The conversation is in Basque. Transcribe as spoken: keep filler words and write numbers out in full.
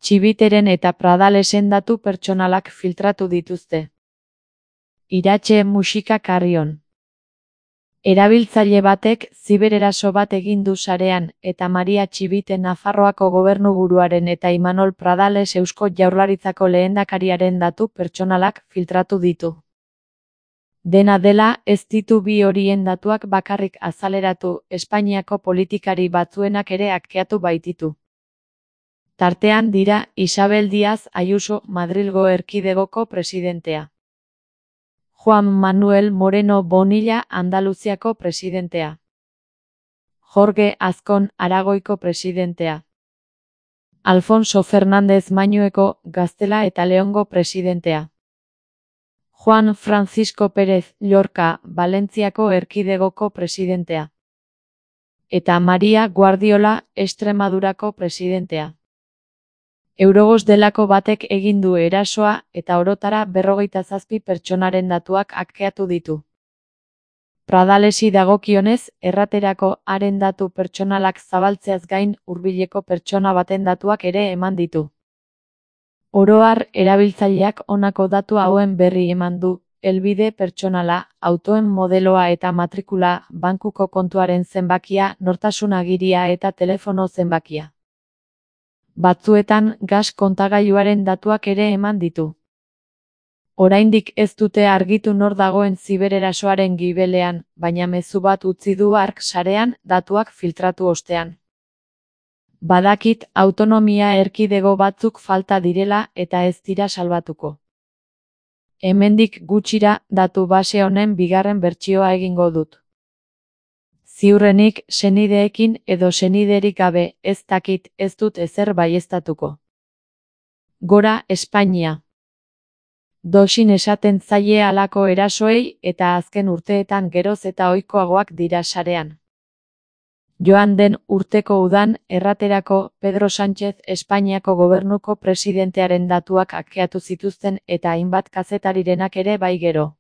Txibiteren eta Pradalesen datu pertsonalak filtratu dituzte. Iratxe musika Carrion. Erabiltzaile batek zibereraso bat egin du sarean, eta Maria Txibite Nafarroako gobernuburuaren eta Imanol Pradales Eusko Jaurlaritzako lehendakariaren datu pertsonalak filtratu ditu. Dena dela, ez ditu bi horien datuak bakarrik azaleratu, Espainiako politikari batzuenak ere hakkeatu baititu. Tartean dira Isabel Díaz Ayuso Madrilgo Erkidegoko presidentea. Juan Manuel Moreno Bonilla Andaluziako presidentea. Jorge Azkon Aragoiko presidentea. Alfonso Fernández Mañueko Gaztela eta Leongo presidentea. Juan Francisco Pérez Llorca Valentziako Erkidegoko presidentea. Eta Maria Guardiola Extremadurako presidentea. Eurogos delako batek egin du erasoa eta orotara berrogeita zazpi pertsonaren datuak hakkeatu ditu. Pradalesi dagokionez, erraterako haren datu pertsonalak zabaltzeaz gain hurbileko pertsona baten datuak ere eman ditu. Oro har, erabiltzaileak honako datu hauen berri eman du: helbide pertsonala, autoen modeloa eta matrikula, bankuko kontuaren zenbakia, nortasun agiria eta telefono zenbakia. Batzuetan gas kontagailuaren datuak ere eman ditu. Oraindik ez dute argitu nor dagoen zibererasoaren gibelean, baina mezu bat utzi du hark sarean datuak filtratu ostean. Badakit autonomia erkidego batzuk falta direla eta ez dira salbatuko. Hemendik gutxira datu base honen bigarren bertsioa egingo dut. Ziurrenik senideekin edo seniderik gabe, ez dakit, ez dut ezer baieztatuko. Gora Espainia. Doxin esaten zaie halako erasoei eta azken urteetan geroz eta ohikoagoak dira sarean. Joan den urteko udan, erraterako Pedro Sánchez Espainiako gobernuko presidentearen datuak hakkeatu zituzten eta hainbat kazetarirenak ere bai gero.